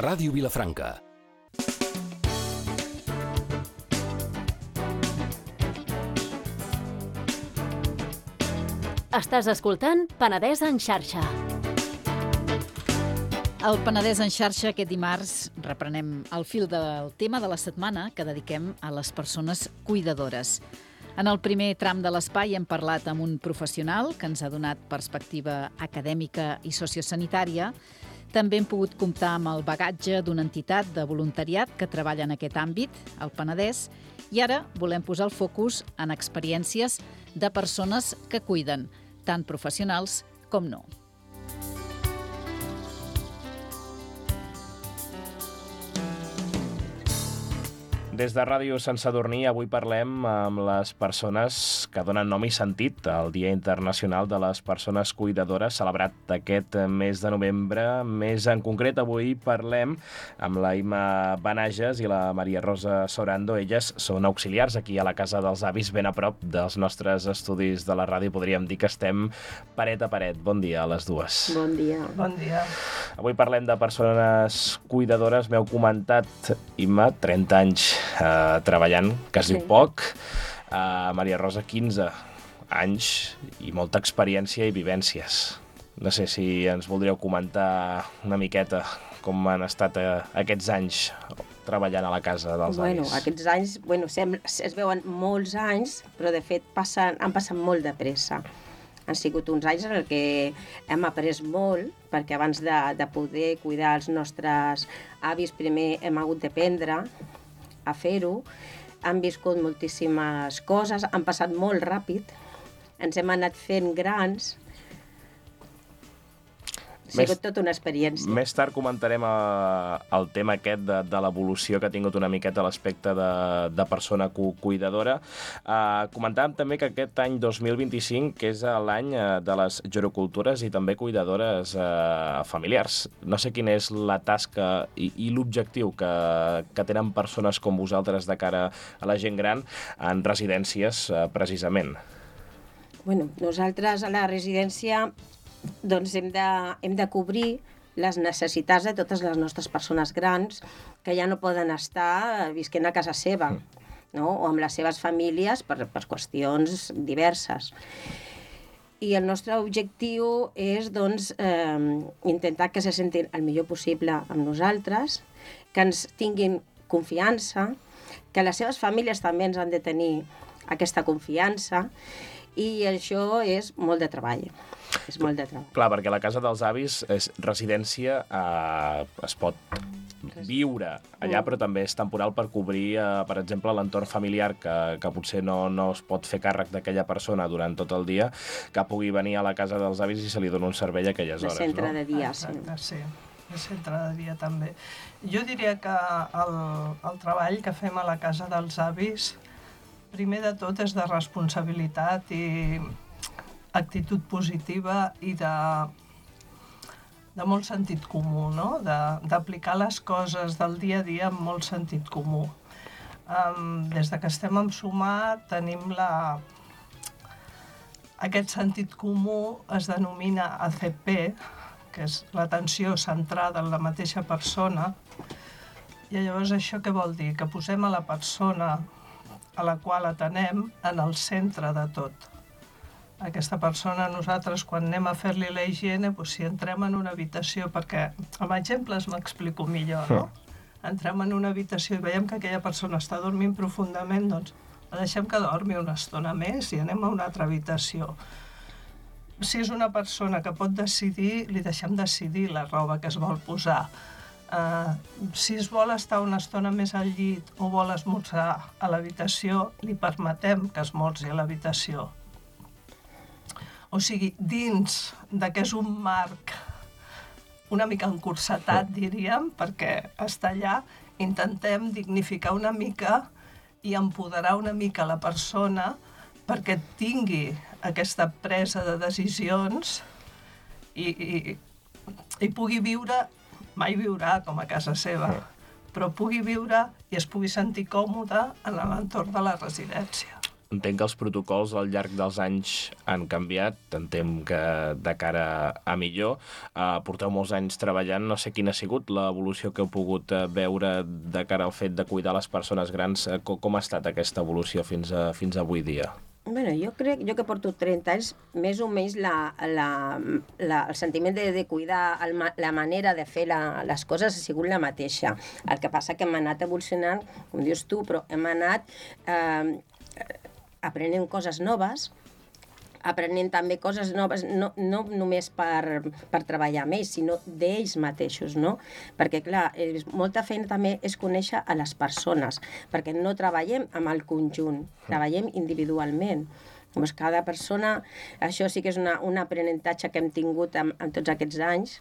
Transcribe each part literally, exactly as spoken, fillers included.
Ràdio Vilafranca. Estàs escoltant Penedès en xarxa. El Penedès en xarxa aquest dimarts reprenem el fil del tema de la setmana que dediquem a les persones cuidadores. En el primer tram de l'espai hem parlat amb un professional que ens ha donat perspectiva acadèmica i sociosanitària. També hem pogut comptar amb el bagatge d'una entitat de voluntariat que treballa en aquest àmbit, el Penedès, i ara volem posar el focus en experiències de persones que cuiden, tant professionals com no. Des de Ràdio Sant Sadurní avui parlem amb les persones que donen nom i sentit al Dia Internacional de les Persones Cuidadores, celebrat aquest mes de novembre. Més en concret, avui parlem amb la Ima Benages i la Maria Rosa Sorando. Elles són auxiliars aquí a la Casa dels Avis, ben a prop dels nostres estudis de la ràdio. Podríem dir que estem paret a paret. Bon dia a les dues. Bon dia. Bon dia. Avui parlem de persones cuidadores. M'heu comentat, Ima, trenta anys Uh, treballant, que es diu Sí. poc. Uh, Maria Rosa, quinze anys i molta experiència i vivències. No sé si ens voldríeu comentar una miqueta com han estat uh, aquests anys treballant a la Casa dels Bueno, Avis. aquests anys, bueno, sembla, es veuen molts anys, però de fet passen, han passat molt de pressa. Han sigut uns anys en què hem après molt, perquè abans de, de poder cuidar els nostres avis, primer hem hagut d'aprendre a fer-ho. Han viscut moltíssimes coses, han passat molt ràpid, ens hem anat fent grans. Ha Més- sigut tota una experiència. Més tard comentarem uh, el tema aquest de, de l'evolució que ha tingut una miqueta l'aspecte de, de persona cu cuidadora. Uh, comentàvem també que aquest any dos mil vint-i-cinc, que és l'any uh, de les gerocultores i també cuidadores uh, familiars. No sé quina és la tasca i, i l'objectiu que, que tenen persones com vosaltres de cara a la gent gran en residències, uh, precisament. Bueno, nosaltres a la residència doncs hem de, hem de cobrir les necessitats de totes les nostres persones grans que ja no poden estar visquent a casa seva, no? O amb les seves famílies per, per qüestions diverses. I el nostre objectiu és doncs, eh, intentar que se sentin el millor possible amb nosaltres, que ens tinguin confiança, que les seves famílies també ens han de tenir aquesta confiança, i això és molt de treball. És molt de treball. Clar, perquè la Casa dels Avis és residència, eh, es pot viure allà, però també és temporal per cobrir, eh, per exemple, l'entorn familiar que, que potser no, no es pot fer càrrec d'aquella persona durant tot el dia, que pugui venir a la Casa dels Avis i se li dona un servei a aquelles De hores, centre no? de dia, sí. Exacte, sí. De centre de dia també. Jo diria que el, el treball que fem a la Casa dels Avis, primer de tot és de responsabilitat i actitud positiva i de, de molt sentit comú, no? De- d'aplicar les coses del dia a dia amb molt sentit comú. Um, des de que estem en Sumar tenim la... Aquest sentit comú es denomina A C P, que és l'atenció centrada en la mateixa persona, i llavors això què vol dir? Que posem a la persona a la qual atenem en el centre de tot. Aquesta persona, nosaltres, quan anem a fer-li la higiene, doncs, si entrem en una habitació, perquè amb exemples m'explico millor, no? Entrem en una habitació i veiem que aquella persona està dormint profundament, doncs la deixem que dormi una estona més i anem a una altra habitació. Si és una persona que pot decidir, li deixem decidir la roba que es vol posar. Uh, si es vol estar una estona més al llit o vol esmorzar a l'habitació, li permetem que esmorzi a l'habitació. O sigui, dins de que és un marc una mica encursetat, diríem, perquè està allà, intentem dignificar una mica i empoderar una mica la persona perquè tingui aquesta presa de decisions i, i, i pugui viure, mai viurà com a casa seva, però pugui viure i es pugui sentir còmode en l'entorn de la residència. Entenc que els protocols al llarg dels anys han canviat, entenc que de cara a millor. Uh, porteu molts anys treballant, no sé quina ha sigut l'evolució que heu pogut uh, veure de cara al fet de cuidar les persones grans. Uh, com, com ha estat aquesta evolució fins a, fins a avui dia? Bueno, jo crec, jo que porto trenta anys, més o menys la, la, la, el sentiment de, de cuidar, el, la manera de fer la, les coses ha sigut la mateixa. El que passa que hem anat evolucionant, com dius tu, però hem anat eh, aprenent coses noves, aprenent també coses noves, no, no només per, per treballar amb ells, sinó d'ells mateixos, no? Perquè, clar, és, molta feina també és conèixer a les persones, perquè no treballem amb el conjunt, treballem individualment. Doncs cada persona, això sí que és una, un aprenentatge que hem tingut en, en tots aquests anys,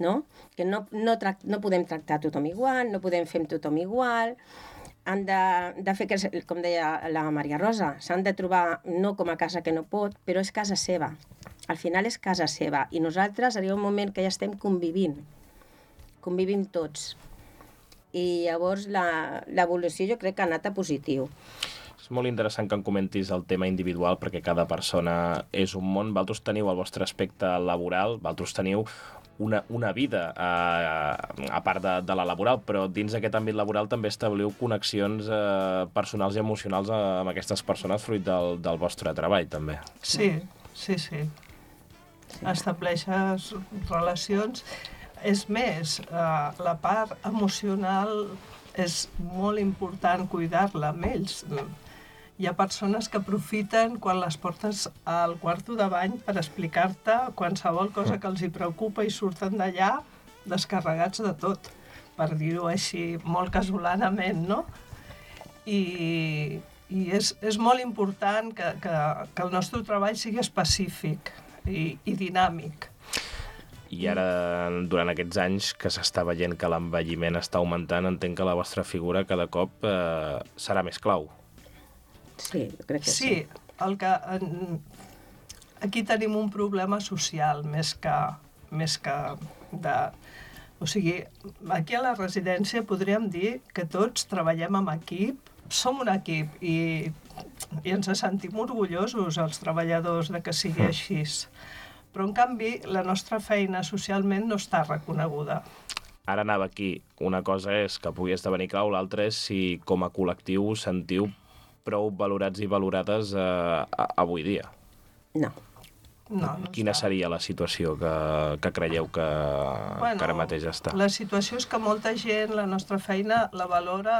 no? Que no, no, tract, no podem tractar tothom igual, no podem fer amb tothom igual, han de, de fer, que, com deia la Maria Rosa, s'han de trobar no com a casa que no pot, però és casa seva. Al final és casa seva. I nosaltres arriba un moment que ja estem convivint. Convivim tots. I llavors l'evolució jo crec que ha anat a positiu. És molt interessant que em comentis el tema individual perquè cada persona és un món. Vosaltres teniu el vostre aspecte laboral, vosaltres teniu una, una vida a, a part de, de la laboral, però dins d'aquest àmbit laboral també establiu connexions eh, personals i emocionals amb aquestes persones fruit del, del vostre treball, també. Sí, sí, sí. sí. Estableixes relacions. És més, eh, la part emocional és molt important cuidar-la amb ells. Hi ha persones que aprofiten quan les portes al quarto de bany per explicar-te qualsevol cosa que els hi preocupa i surten d'allà descarregats de tot, per dir-ho així molt casolanament, no? I, i és, és molt important que, que, que el nostre treball sigui específic i, i dinàmic. I ara, durant aquests anys que s'està veient que l'envelliment està augmentant, entenc que la vostra figura cada cop eh, serà més clau. Sí, jo crec que sí. Sí, el que, en, aquí tenim un problema social més que, més que de... O sigui, aquí a la residència podríem dir que tots treballem en equip, som un equip i, i ens sentim orgullosos els treballadors de que sigui així. Però, en canvi, la nostra feina socialment no està reconeguda. Ara anava aquí. Una cosa és que pugui esdevenir clau, l'altra és si com a col·lectiu sentiu prou valorats i valorades eh, avui dia. No. No, no Quina està. seria la situació que, que creieu que, bueno, que ara mateix està? La situació és que molta gent la nostra feina la valora,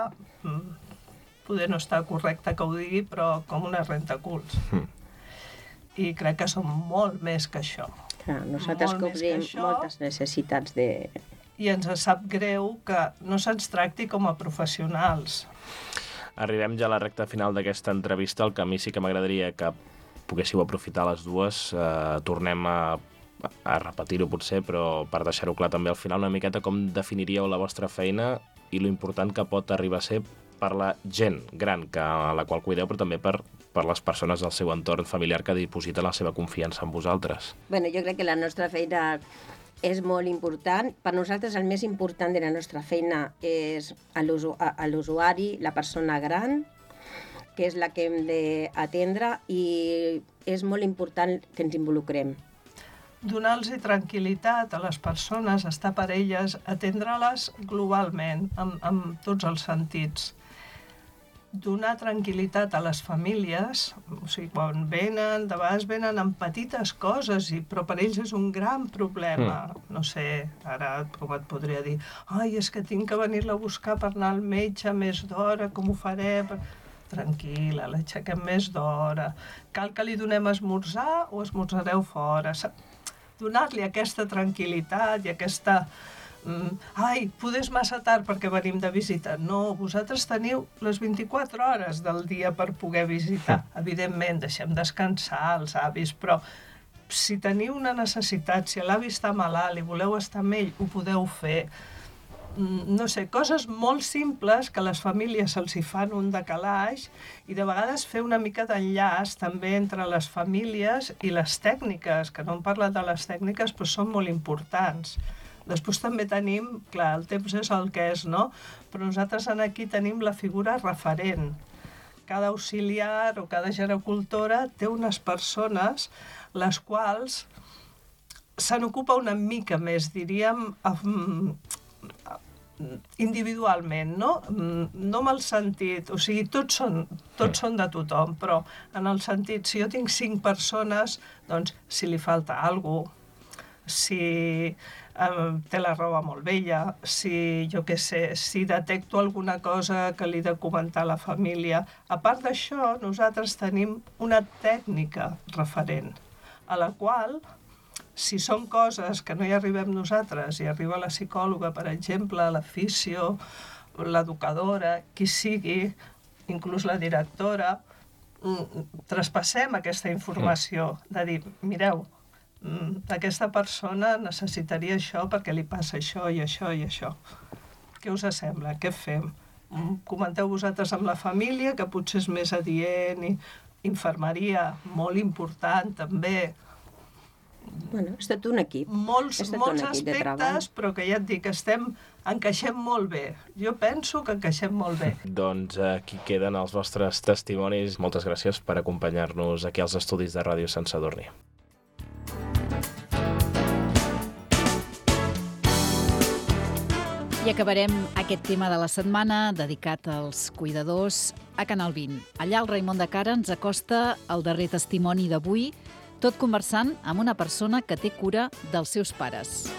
poder no està correcte que ho digui, però com una rentaculs. Mm. I crec que som molt més que això. Clar, nosaltres molt cobrim moltes necessitats de... I ens sap greu que no se'ns tracti com a professionals. Arribem ja a la recta final d'aquesta entrevista. El que a mi sí que m'agradaria que poguéssiu aprofitar les dues. Eh, tornem a, a repetir-ho potser, però per deixar-ho clar també al final una miqueta com definiríeu la vostra feina i lo important que pot arribar a ser per la gent gran que, a la qual cuideu, però també per, per les persones del seu entorn familiar que dipositen la seva confiança en vosaltres. Bueno, jo crec que la nostra feina és molt important. Per nosaltres el més important de la nostra feina és a l'usuari, la persona gran, que és la que hem d'atendre, i és molt important que ens involucrem. Donar-los tranquil·litat a les persones, estar per elles, atendre-les globalment, amb, amb tots els sentits. Donar tranquil·litat a les famílies, o sigui, quan venen, de vegades venen amb petites coses, i, però per ells és un gran problema. Mm. No sé, ara com et podria dir, ai, és que tinc que venir-la a buscar per anar al metge més d'hora, com ho faré? Tranquil·la, l'aixequem més d'hora. Cal que li donem esmorzar o esmorzareu fora? Donar-li aquesta tranquil·litat i aquesta... Mm, ai, poder és massa tard perquè venim de visita. No, vosaltres teniu les vint-i-quatre hores del dia per poder visitar. Evidentment, deixem descansar els avis, però si teniu una necessitat, si l'avi està malalt i voleu estar amb ell, ho podeu fer. Mm, no sé, coses molt simples que a les famílies se'ls hi fan un decalaix, i de vegades fer una mica d'enllaç també entre les famílies i les tècniques, que no hem parlat de les tècniques, però són molt importants. Després també tenim, clar, el temps és el que és, no? Però nosaltres aquí tenim la figura referent, cada auxiliar o cada gericultora té unes persones les quals se n'ocupa una mica més, diríem, individualment, no? No amb el sentit, o sigui, tots són, tots són de tothom, però en el sentit, si jo tinc cinc persones, doncs si li falta alguna cosa, si eh, té la roba molt vella, si, jo què sé, si detecto alguna cosa que li he de comentar a la família. A part d'això, nosaltres tenim una tècnica referent, a la qual, si són coses que no hi arribem nosaltres, i arriba la psicòloga, per exemple, la fisio, l'educadora, qui sigui, inclús la directora, traspassem aquesta informació, de dir, mireu, aquesta persona necessitaria això perquè li passa això i això i això. Què us sembla? Què fem? Comenteu vosaltres amb la família, que potser és més adient, i infermeria, molt important també. Bueno, és tot un equip. Molts, és tot molts un equip de treball. aspectes, però que ja et dic, estem, encaixem molt bé. Jo penso que encaixem molt bé. Doncs aquí queden els vostres testimonis. Moltes gràcies per acompanyar-nos aquí als estudis de Ràdio Sant Sadurní. I acabarem aquest tema de la setmana dedicat als cuidadors a Canal vint. Allà el Raimon de Cara ens acosta el darrer testimoni d'avui, tot conversant amb una persona que té cura dels seus pares.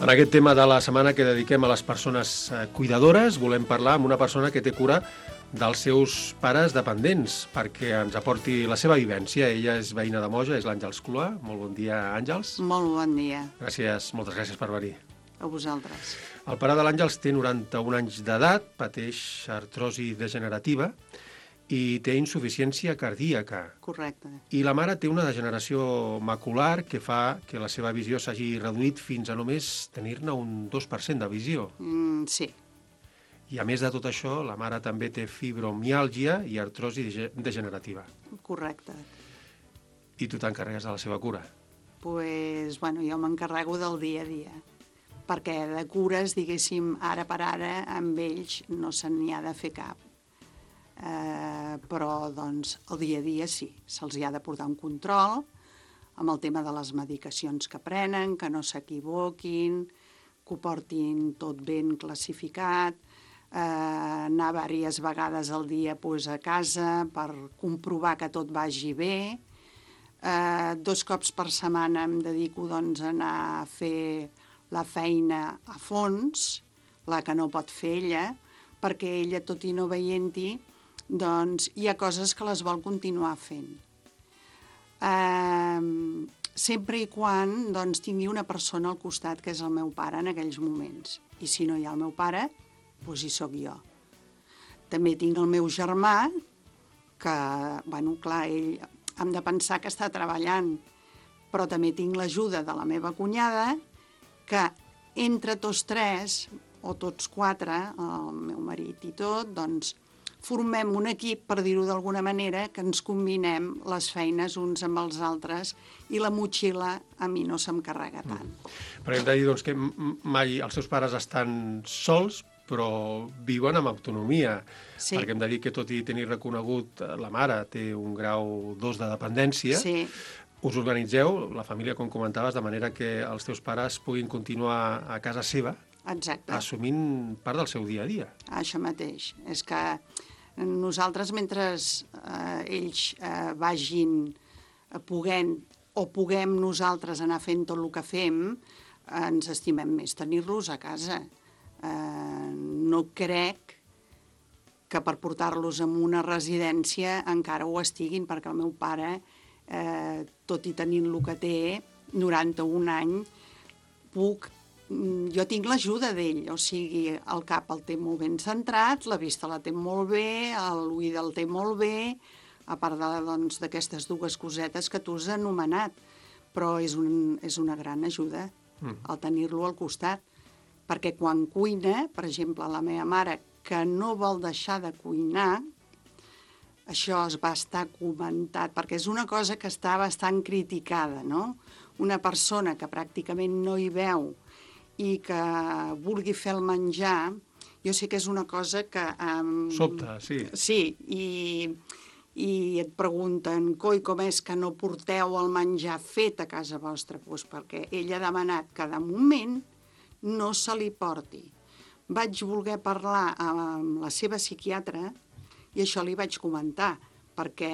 En aquest tema de la setmana que dediquem a les persones cuidadores, volem parlar amb una persona que té cura dels seus pares dependents, perquè ens aporti la seva vivència. Ella és veïna de Moja, és l'Àngels Cloà. Molt bon dia, Àngels. Molt bon dia. Gràcies, moltes gràcies per venir. A vosaltres. El pare de l'Àngels té noranta-un anys d'edat, pateix artrosi degenerativa i té insuficiència cardíaca. Correcte. I la mare té una degeneració macular que fa que la seva visió s'hagi reduït fins a només tenir-ne un dos per cent de visió. Mm, sí. I a més de tot això, la mare també té fibromiàlgia i artrosi degenerativa. Correcte. I tu t'encarregues de la seva cura? Pues, bueno, jo m'encarrego del dia a dia, perquè de cures, diguéssim, ara per ara, amb ells no se n'hi ha de fer cap. Eh, però, doncs, el dia a dia sí, se'ls hi ha de portar un control amb el tema de les medicacions que prenen, que no s'equivoquin, que ho portin tot ben classificat, eh, anar diverses vegades al dia pues, a casa per comprovar que tot vagi bé. Eh, dos cops per setmana em dedico doncs, a anar a fer la feina a fons, la que no pot fer ella, perquè ella, tot i no veient-hi, doncs hi ha coses que les vol continuar fent. Eh, sempre i quan doncs, tingui una persona al costat, que és el meu pare en aquells moments. I si no hi ha el meu pare, doncs hi sóc jo. També tinc el meu germà, que, bueno, clar, ell hem de pensar que està treballant, però també tinc l'ajuda de la meva cunyada, que entre tots tres, o tots quatre, el meu marit i tot, doncs formem un equip, per dir-ho d'alguna manera, que ens combinem les feines uns amb els altres i la motxilla a mi no se'm carrega tant. Mm. Perquè hem de dir doncs, que mai els seus pares estan sols, però viuen amb autonomia. Sí. Perquè hem de dir que, tot i tenir reconegut, la mare té un grau dos de dependència. Sí. Us organitzeu, la família, com comentaves, de manera que els teus pares puguin continuar a casa seva. Exacte. Assumint part del seu dia a dia. Això mateix. És que nosaltres, mentre eh, ells eh, vagin puguent o puguem nosaltres anar fent tot el que fem, eh, ens estimem més tenir-los a casa. Eh, no crec que per portar-los en una residència encara ho estiguin, perquè el meu pare, eh, tot i tenint el que té, noranta-un anys, puc jo tinc l'ajuda d'ell, o sigui, el cap el té molt ben centrat, la vista la té molt bé, l'oïda el té molt bé, a part doncs, d'aquestes dues cosetes que tu has anomenat, però és, un, és una gran ajuda mm. el tenir-lo al costat, perquè quan cuina, per exemple, la meva mare, que no vol deixar de cuinar, això es va estar comentat, perquè és una cosa que està bastant criticada, no? Una persona que pràcticament no hi veu i que vulgui fer el menjar, jo sé que és una cosa que... Um, Sobta, sí. Sí, i, i et pregunten, coi, com és que no porteu el menjar fet a casa vostra? Pues perquè ell ha demanat que de moment no se li porti. Vaig voler parlar amb la seva psiquiatra i això li vaig comentar, perquè,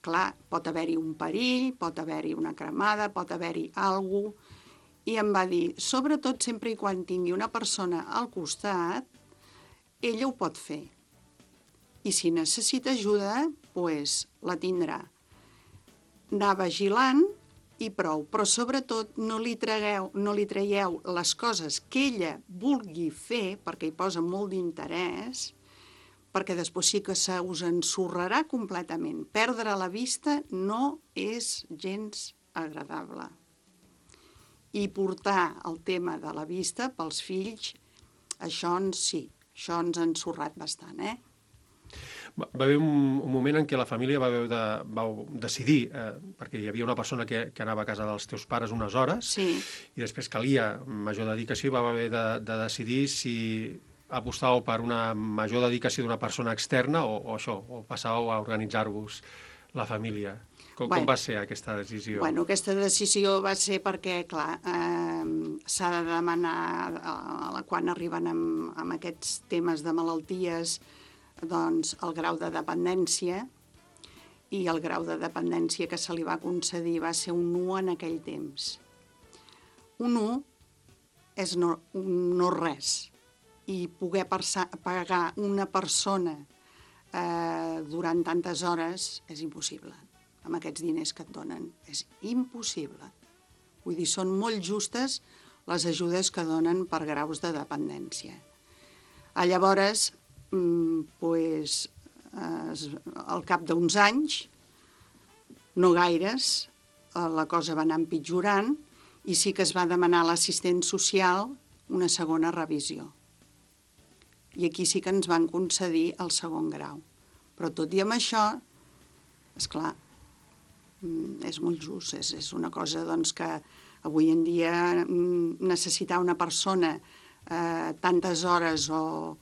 clar, pot haver-hi un perill, pot haver-hi una cremada, pot haver-hi alguna cosa, i em va dir, sobretot sempre i quan tingui una persona al costat, ella ho pot fer. I si necessita ajuda, doncs la tindrà. Anar vigilant i prou, però sobretot no li, tragueu, no li traieu les coses que ella vulgui fer, perquè hi posa molt d'interès, perquè després sí que se us ensorrarà completament. Perdre la vista no és gens agradable. I portar el tema de la vista pels fills, això ens, sí, això ens ha ensorrat bastant, eh? Va haver un, un moment en què la família va haver de, vau decidir, eh, perquè hi havia una persona que, que anava a casa dels teus pares unes hores, Sí. i després calia major dedicació, i va haver de, de decidir si apostàveu per una major dedicació d'una persona externa o, o això, o passàveu a organitzar-vos la família. Com, Bueno. com va ser aquesta decisió? Bueno, aquesta decisió va ser perquè, clar, eh, s'ha de demanar, eh, quan arriben amb, amb aquests temes de malalties, doncs el grau de dependència, i el grau de dependència que se li va concedir va ser un u en aquell temps. Un u és no, no res, i poder persa, pagar una persona eh, durant tantes hores és impossible. Amb aquests diners que et donen. És impossible. Vull dir, són molt justes les ajudes que donen per graus de dependència. A llavors, pues, al cap d'uns anys, no gaires, la cosa va anar empitjorant i sí que es va demanar a l'assistent social una segona revisió. I aquí sí que ens van concedir el segon grau. Però tot i amb això, esclar, és molt just, és, és una cosa doncs, que avui en dia necessitar una persona eh, tantes hores o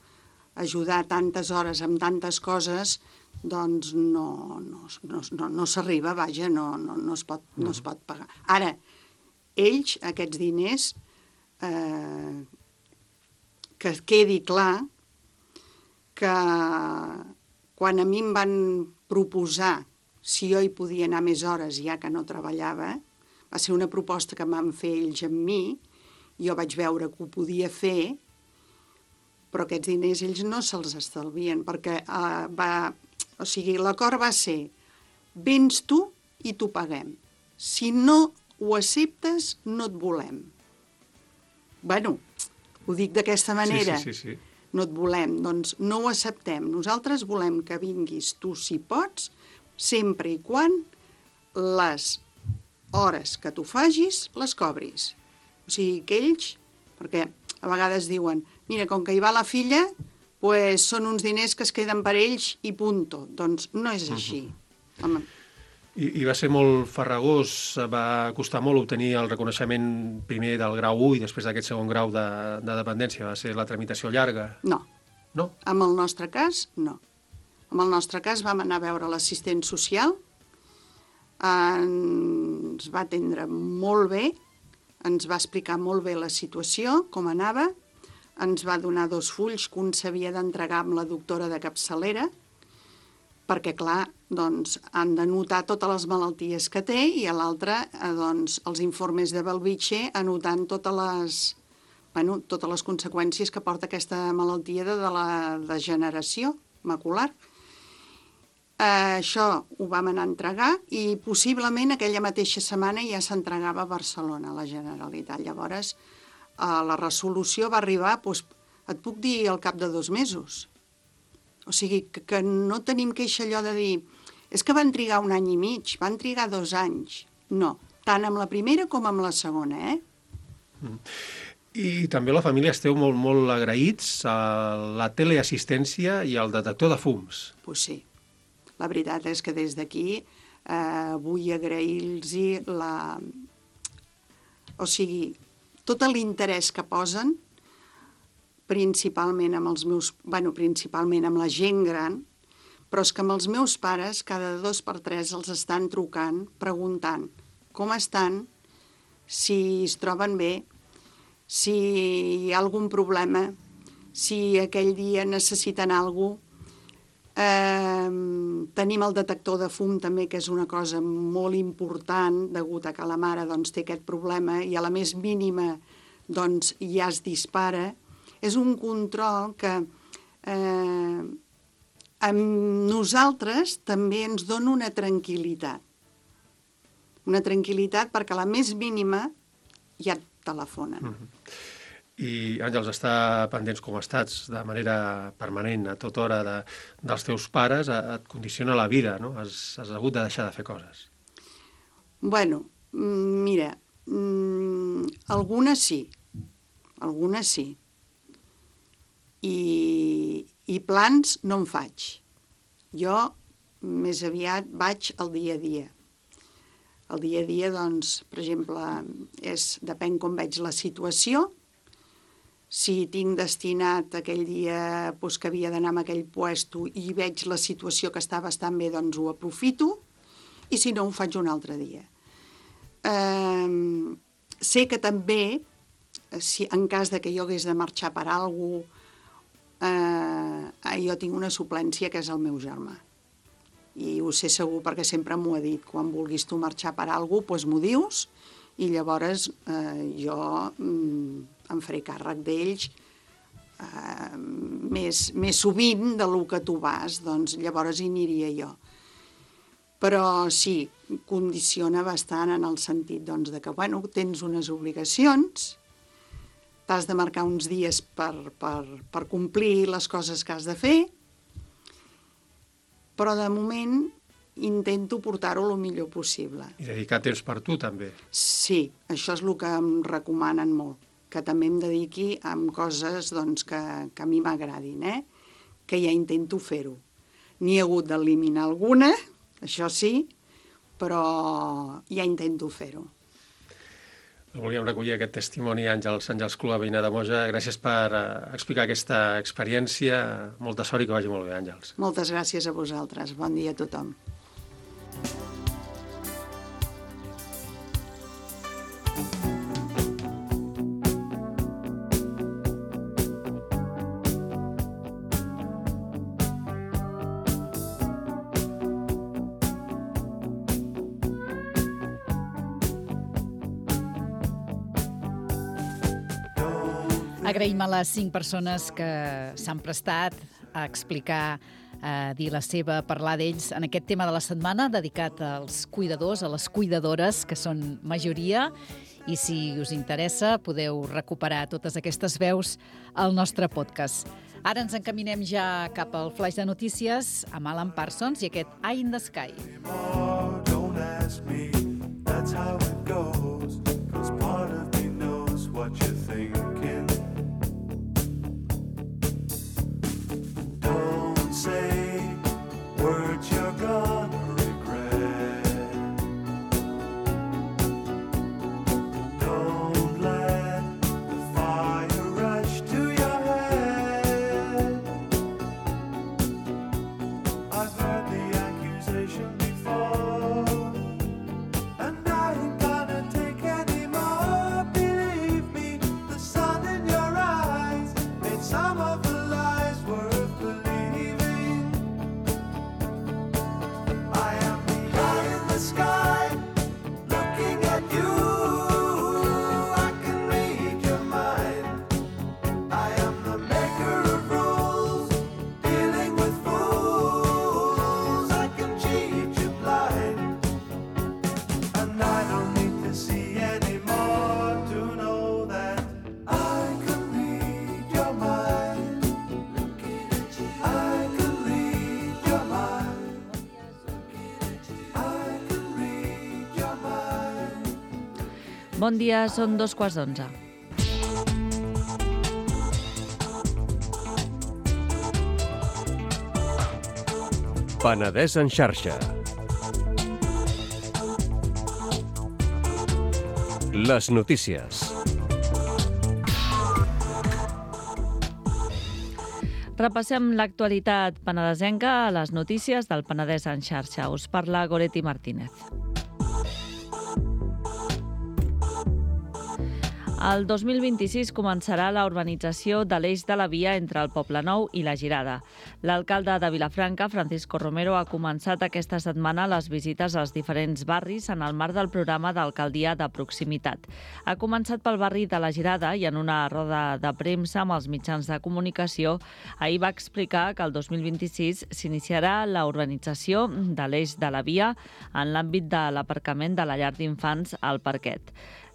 ajudar tantes hores amb tantes coses, doncs no, no, no, no, no s'arriba, vaja, no, no, no, es pot, no es pot pagar. Ara, ells, aquests diners, eh, que quedi clar que quan a mi em van proposar si jo hi podia anar més hores ja que no treballava, va ser una proposta que van fer ells amb mi, jo vaig veure que ho podia fer, però aquests diners ells no se'ls estalvien, perquè uh, va, o sigui, l'acord va ser, vens tu i t'ho paguem. Si no ho acceptes, no et volem. Bueno, ho dic d'aquesta manera. Sí, sí, sí, sí. No et volem, doncs no ho acceptem. Nosaltres volem que vinguis tu si pots, sempre i quan les hores que tu fagis les cobris. O sigui, que ells, perquè a vegades diuen, mira, com que hi va la filla, pues són uns diners que es queden per ells i punto. Doncs no és així. Uh-huh. Home. I, I va ser molt farragós, va costar molt obtenir el reconeixement primer del grau u i després d'aquest segon grau de, de dependència. Va ser la tramitació llarga? No. No? En el nostre cas, no. En el nostre cas vam anar a veure l'assistent social, ens va atendre molt bé, ens va explicar molt bé la situació, com anava, ens va donar dos fulls que un s'havia d'entregar amb la doctora de capçalera, perquè, clar, doncs, han de notar totes les malalties que té i a l'altre, doncs, els informes de Belvitge anotant totes les, bueno, totes les conseqüències que porta aquesta malaltia de, de la degeneració macular. Eh, això ho vam anar a entregar i possiblement aquella mateixa setmana ja s'entregava a Barcelona, a la Generalitat. Llavors, eh, la resolució va arribar, doncs, et puc dir, al cap de dos mesos. O sigui, que, que no tenim queixa allò de dir és que van trigar un any i mig, van trigar dos anys. No, tant amb la primera com amb la segona, eh? Mm. I també la família esteu molt, molt agraïts a la teleassistència i al detector de fums. Doncs pues sí. La veritat és que des d'aquí eh, vull agrair-los la... O sigui, tot l'interès que posen principalment amb els meus... bueno, principalment amb la gent gran, però és que amb els meus pares cada dos per tres els estan trucant, preguntant com estan, si es troben bé, si hi ha algun problema, si aquell dia necessiten alguna cosa. Eh, tenim el detector de fum també, que és una cosa molt important, degut a que la mare doncs, té aquest problema i a la més mínima doncs, ja es dispara. És un control que eh, amb nosaltres també ens dona una tranquil·litat. Una tranquil·litat perquè a la més mínima ja et telefonen. Mm-hmm. I, Àngels, estar pendents com estats de manera permanent, a tota hora, de, dels teus pares, et condiciona la vida, no? Has, has hagut de deixar de fer coses. Bueno, mira, mmm, algunes sí, algunes sí. I, i plans no en faig. Jo més aviat vaig al dia a dia. El dia a dia, doncs, per exemple, és, depèn com veig la situació. Si tinc destinat aquell dia doncs, que havia d'anar a aquell puesto i veig la situació que està bastant bé, doncs ho aprofito, i si no, ho faig un altre dia. Eh, sé que també, si en cas de que jo hagués de marxar per alguna cosa, eh, jo tinc una suplència que és el meu germà. I ho sé segur perquè sempre m'ho ha dit. Quan vulguis tu marxar per alguna cosa, doncs m'ho dius, i llavors eh, jo mm, em faré càrrec d'ells eh, més, més sovint del que tu vas, doncs llavors hi aniria jo. Però sí, condiciona bastant en el sentit doncs, de que bueno, tens unes obligacions, t'has de marcar uns dies per, per, per complir les coses que has de fer, però de moment intento portar-ho el millor possible. I dedicar temps per tu, també. Sí, això és el que em recomanen molt, que també em dediqui a coses doncs, que, que a mi m'agradin, eh? Que ja intento fer-ho. N'hi ha hagut d'eliminar alguna, això sí, però ja intento fer-ho. Volíem recollir aquest testimoni, Àngels, Àngels Clua, veïna de Moja. Gràcies per uh, explicar aquesta experiència. Molta sort i que vagi molt bé, Àngels. Moltes gràcies a vosaltres. Bon dia a tothom. Agraïm a les cinc persones que s'han prestat a explicar, a dir la seva, a parlar d'ells en aquest tema de la setmana dedicat als cuidadors, a les cuidadores, que són majoria, i si us interessa podeu recuperar totes aquestes veus al nostre podcast. Ara ens encaminem ja cap al flaix de notícies amb Alan Parsons i aquest Eye in the Sky. Don't ask me, that's how it goes, 'cause part of me knows what you're thinking. Don't say words you're gonna regret. Don't let the fire rush to your head. I've heard the accusation before, and I ain't gonna take any more. Believe me, the sun in your eyes made some of the lies worth believing. I am the eye in the sky, looking at you. I can read your mind. I am the maker of rules, dealing with fools. I can cheat you blind, and I don't need to see anymore to know that I can read your mind. I can read your mind. I can read your mind. Bon dia, són dos quarts d'onze. Penedès en xarxa. Les notícies. Repassem l'actualitat penedesenca a les notícies del Penedès en xarxa. Us parla Goretti Martínez. El dos mil vint-i-sis començarà la urbanització de l'eix de la via entre el Poblenou i la Girada. L'alcalde de Vilafranca, Francisco Romero, ha començat aquesta setmana les visites als diferents barris en el marc del programa d'alcaldia de proximitat. Ha començat pel barri de la Girada i en una roda de premsa amb els mitjans de comunicació ahir va explicar que el dos mil vint-i-sis s'iniciarà la urbanització de l'eix de la via en l'àmbit de l'aparcament de la llar d'infants al Parquet.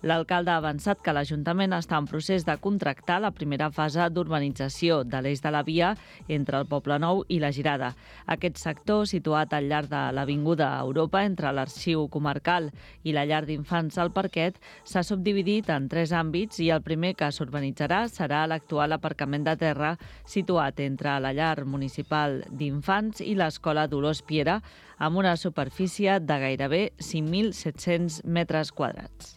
L'alcalde ha avançat que l'Ajuntament està en procés de contractar la primera fase d'urbanització de l'eix de la via entre el Poblenou i la Girada. Aquest sector, situat al llarg de l'Avinguda Europa, entre l'Arxiu Comarcal i la llar d'infants al Parquet, s'ha subdividit en tres àmbits i el primer que s'urbanitzarà serà l'actual aparcament de terra situat entre la llar municipal d'infants i l'Escola Dolors Piera, amb una superfície de gairebé cinc mil set-cents metres quadrats.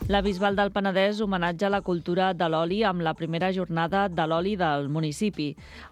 La Bisbal del Penedès homenatja la cultura de l'oli amb la primera jornada de l'oli del municipi.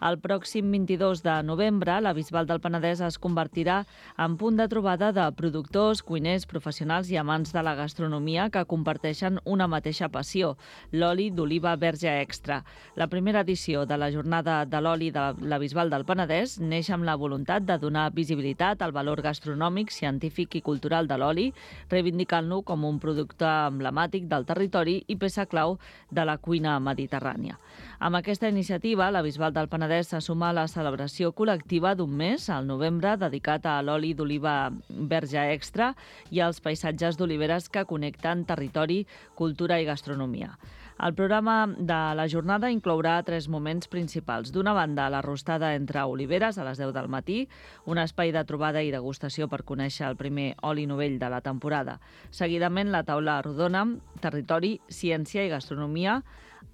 El pròxim vint-i-dos de novembre, la Bisbal del Penedès es convertirà en punt de trobada de productors, cuiners, professionals i amants de la gastronomia que comparteixen una mateixa passió, l'oli d'oliva verge extra. La primera edició de la jornada de l'oli de la Bisbal del Penedès neix amb la voluntat de donar visibilitat al valor gastronòmic, científic i cultural de l'oli, reivindicant-lo com un producte emblemàtic del territori i peça clau de la cuina mediterrània. Amb aquesta iniciativa, la Bisbal del Penedès se suma a la celebració col·lectiva d'un mes, al novembre, dedicat a l'oli d'oliva verge extra i als paisatges d'oliveres que connecten territori, cultura i gastronomia. El programa de la jornada inclourà tres moments principals. D'una banda, la rostada entre oliveres a les deu del matí, un espai de trobada i degustació per conèixer el primer oli novell de la temporada. Seguidament, la taula rodona, territori, ciència i gastronomia,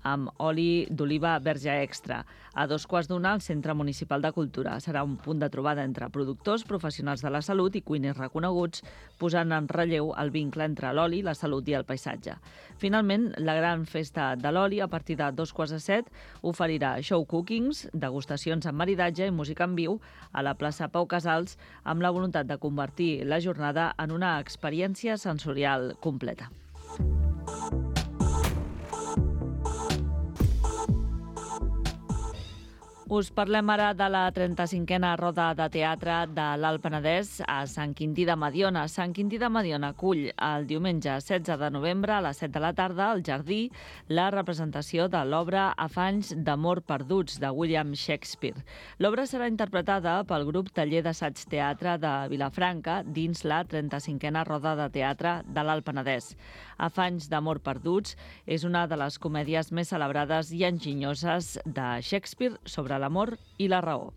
amb oli d'oliva verge extra. A dos quarts d'una, al Centre Municipal de Cultura. Serà un punt de trobada entre productors, professionals de la salut i cuiners reconeguts, posant en relleu el vincle entre l'oli, la salut i el paisatge. Finalment, la gran festa de l'oli, a partir de dos quarts de set, oferirà show cookings, degustacions amb maridatge i música en viu a la plaça Pau Casals, amb la voluntat de convertir la jornada en una experiència sensorial completa. Us parlem ara de la trenta-cinquena roda de teatre de l'Alt Penedès a Sant Quintí de Mediona. Sant Quintí de Mediona acull el diumenge setze de novembre a les set de la tarda al Jardí la representació de l'obra Afanys d'amor perduts de William Shakespeare. L'obra serà interpretada pel grup Taller d'Assaig Teatre de Vilafranca dins la trenta-cinquena roda de teatre de l'Alt Penedès. Afanys d'amor perduts és una de les comèdies més celebrades i enginyoses de Shakespeare sobre l'amor i la raó.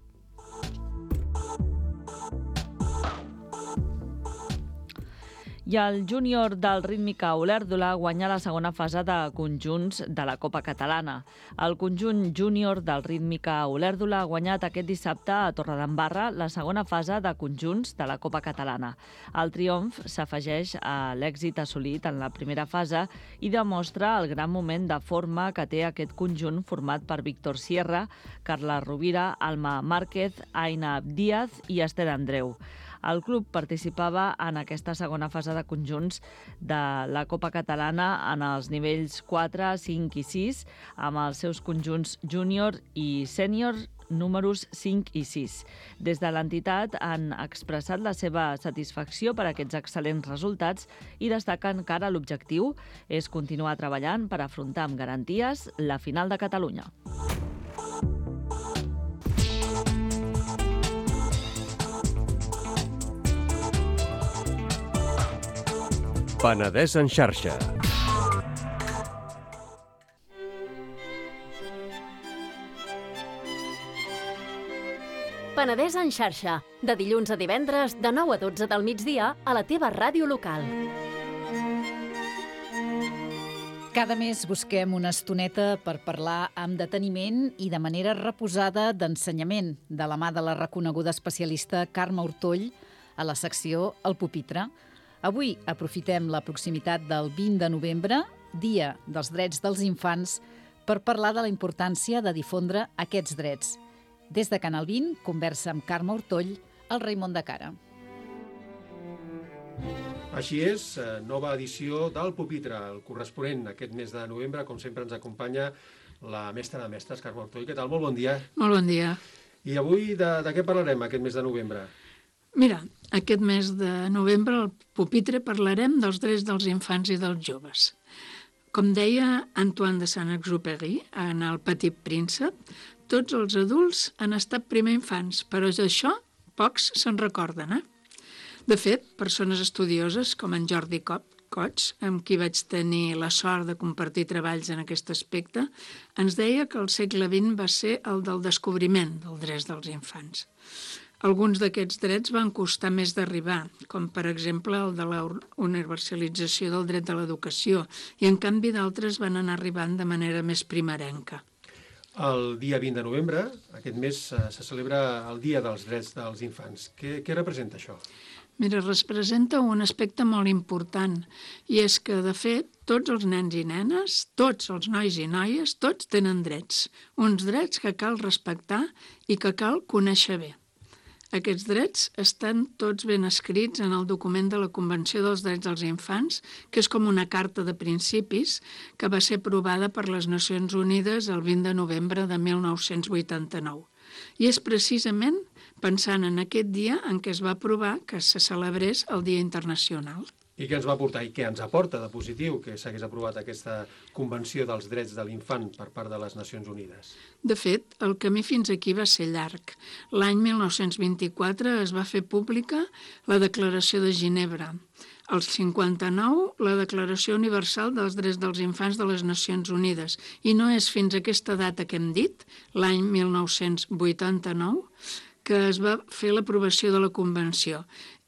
I el júnior del Rítmica Olèrdola guanya la segona fase de conjunts de la Copa Catalana. El conjunt júnior del Rítmica Olèrdola ha guanyat aquest dissabte a Torredembarra la segona fase de conjunts de la Copa Catalana. El triomf s'afegeix a l'èxit assolit en la primera fase i demostra el gran moment de forma que té aquest conjunt format per Víctor Sierra, Carla Rovira, Alma Márquez, Aina Díaz i Esther Andreu. El club participava en aquesta segona fase de conjunts de la Copa Catalana en els nivells quatre, cinc i sis, amb els seus conjunts júnior i sènior números cinc i sis. Des de l'entitat han expressat la seva satisfacció per aquests excel·lents resultats i destaquen que ara l'objectiu és continuar treballant per afrontar amb garanties la final de Catalunya. Penedès en xarxa. Penedès en xarxa, de dilluns a divendres, de nou a dotze del migdia, a la teva ràdio local. Cada mes busquem una estoneta per parlar amb deteniment i de manera reposada d'ensenyament, de la mà de la reconeguda especialista Carme Ortoll, a la secció El Pupitre. Avui aprofitem la proximitat del vint de novembre Dia dels Drets dels Infants, per parlar de la importància de difondre aquests drets. Des de Canal vint, conversa amb Carme Ortoll, el Raimon de Cara. Així és, nova edició del Pupitre, el corresponent aquest mes de novembre. Com sempre ens acompanya la mestra de mestres, Carme Ortoll. Què tal? Molt bon dia. Molt bon dia. I avui de, de què parlarem aquest mes de novembre? Mira, aquest mes de novembre al Pupitre parlarem dels drets dels infants i dels joves. Com deia Antoine de Saint-Exupéry en El Petit Príncep, tots els adults han estat primer infants, però d'això pocs se'n recorden, eh? De fet, persones estudioses com en Jordi Cots, amb qui vaig tenir la sort de compartir treballs en aquest aspecte, ens deia que el segle vint va ser el del descobriment dels drets dels infants. Alguns d'aquests drets van costar més d'arribar, com per exemple el de la universalització del dret de l'educació, i en canvi d'altres van anar arribant de manera més primerenca. El dia vint de novembre, aquest mes, se celebra el Dia dels Drets dels Infants. Què, què representa això? Mira, representa un aspecte molt important, i és que, de fet, tots els nens i nenes, tots els nois i noies, tots tenen drets. Uns drets que cal respectar i que cal conèixer bé. Aquests drets estan tots ben escrits en el document de la Convenció dels Drets dels Infants, que és com una carta de principis que va ser aprovada per les Nacions Unides el vint de novembre de mil nou-cents vuitanta-nou. I és precisament pensant en aquest dia en què es va aprovar que se celebrés el Dia Internacional. I què ens va portar i què ens aporta de positiu que s'hagués aprovat aquesta Convenció dels Drets de l'Infant per part de les Nacions Unides? De fet, el camí fins aquí va ser llarg. L'any mil nou-cents vint-i-quatre es va fer pública la Declaració de Ginebra. El cinquanta-nou, la Declaració Universal dels Drets dels Infants de les Nacions Unides. I no és fins a aquesta data que hem dit, l'any mil nou-cents vuitanta-nou, que es va fer l'aprovació de la Convenció.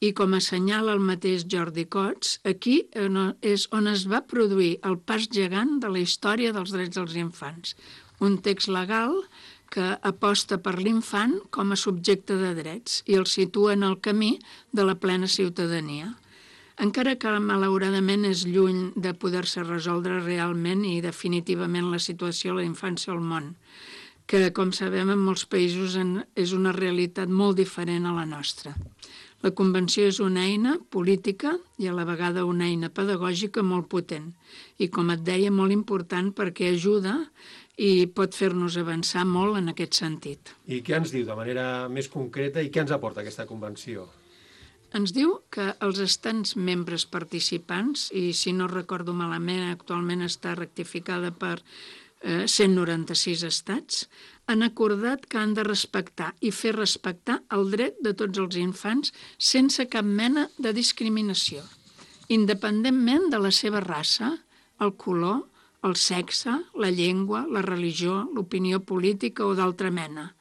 I com assenyala el mateix Jordi Cots, aquí és on es va produir el pas gegant de la història dels drets dels infants. Un text legal que aposta per l'infant com a subjecte de drets i el situa en el camí de la plena ciutadania. Encara que malauradament és lluny de poder-se resoldre realment i definitivament la situació de la infància al món, que, com sabem, en molts països és una realitat molt diferent a la nostra. La Convenció és una eina política i a la vegada una eina pedagògica molt potent i, com et deia, molt important perquè ajuda i pot fer-nos avançar molt en aquest sentit. I què ens diu de manera més concreta i què ens aporta aquesta Convenció? Ens diu que els estats membres participants, i si no recordo malament, actualment està rectificada per cent noranta-sis estats, han acordat que han de respectar i fer respectar el dret de tots els infants sense cap mena de discriminació, independentment de la seva raça, el color, el sexe, la llengua, la religió, l'opinió política o d'altra mena,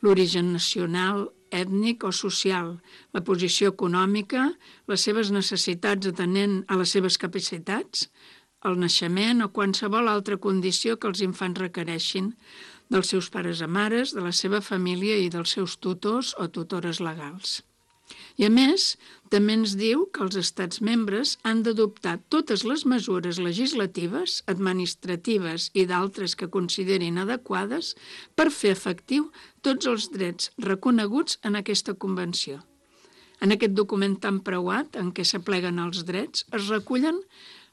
l'origen nacional, ètnic o social, la posició econòmica, les seves necessitats atenent a les seves capacitats, el naixement o qualsevol altra condició que els infants requereixin dels seus pares o mares, de la seva família i dels seus tutors o tutores legals. I a més, també ens diu que els estats membres han d'adoptar totes les mesures legislatives, administratives i d'altres que considerin adequades per fer efectiu tots els drets reconeguts en aquesta convenció. En aquest document tan preuat, en què s'apleguen els drets, es recullen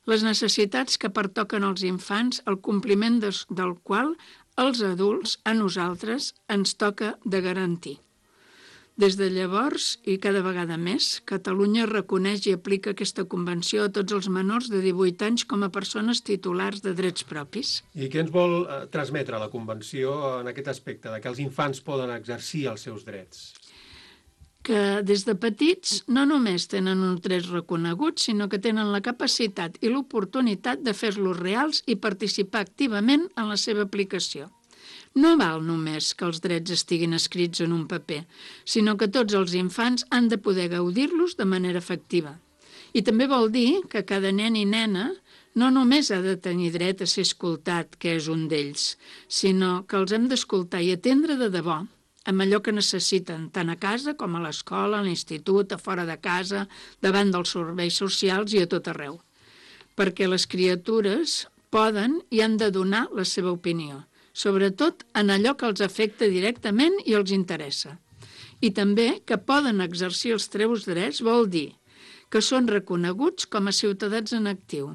les necessitats que pertoquen als infants, el compliment del qual els adults, a nosaltres, ens toca de garantir. Des de llavors, i cada vegada més, Catalunya reconeix i aplica aquesta convenció a tots els menors de divuit anys com a persones titulars de drets propis. I què ens vol transmetre la convenció en aquest aspecte, de que els infants poden exercir els seus drets? Que des de petits no només tenen uns drets reconeguts, sinó que tenen la capacitat i l'oportunitat de fer-los reals i participar activament en la seva aplicació. No val només que els drets estiguin escrits en un paper, sinó que tots els infants han de poder gaudir-los de manera efectiva. I també vol dir que cada nen i nena no només ha de tenir dret a ser escoltat, que és un d'ells, sinó que els hem d'escoltar i atendre de debò, amb allò que necessiten, tant a casa com a l'escola, a l'institut, a fora de casa, davant dels serveis socials i a tot arreu. perquè les criatures poden i han de donar la seva opinió, sobretot en allò que els afecta directament i els interessa. I també que poden exercir els seus drets vol dir que són reconeguts com a ciutadans en actiu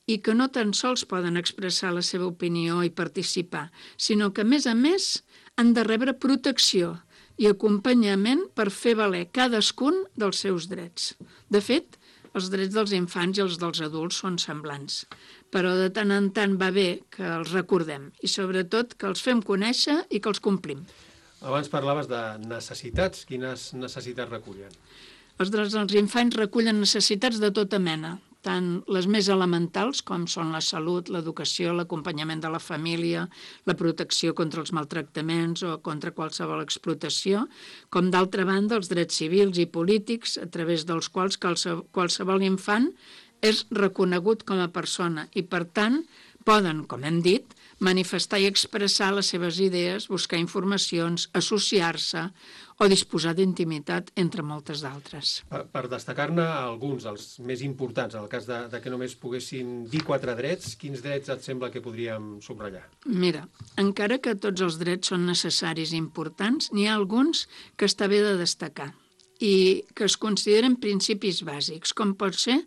i que no tan sols poden expressar la seva opinió i participar, sinó que, a més a més, han de rebre protecció i acompanyament per fer valer cadascun dels seus drets. De fet, els drets dels infants i els dels adults són semblants, però de tant en tant va bé que els recordem i, sobretot, que els fem conèixer i que els complim. Abans parlaves de necessitats. Quines necessitats recullen? Els drets dels infants recullen necessitats de tota mena, tant les més elementals, com són la salut, l'educació, l'acompanyament de la família, la protecció contra els maltractaments o contra qualsevol explotació, com d'altra banda els drets civils i polítics, a través dels quals qualsevol infant és reconegut com a persona i, per tant, poden, com hem dit, manifestar i expressar les seves idees, buscar informacions, associar-se o disposar d'intimitat, entre moltes d'altres. Per, per destacar-ne alguns, els més importants, en el cas de, de que només poguéssim dir quatre drets, quins drets et sembla que podríem subratllar? Mira, encara que tots els drets són necessaris i importants, n'hi ha alguns que està bé de destacar i que es consideren principis bàsics, com pot ser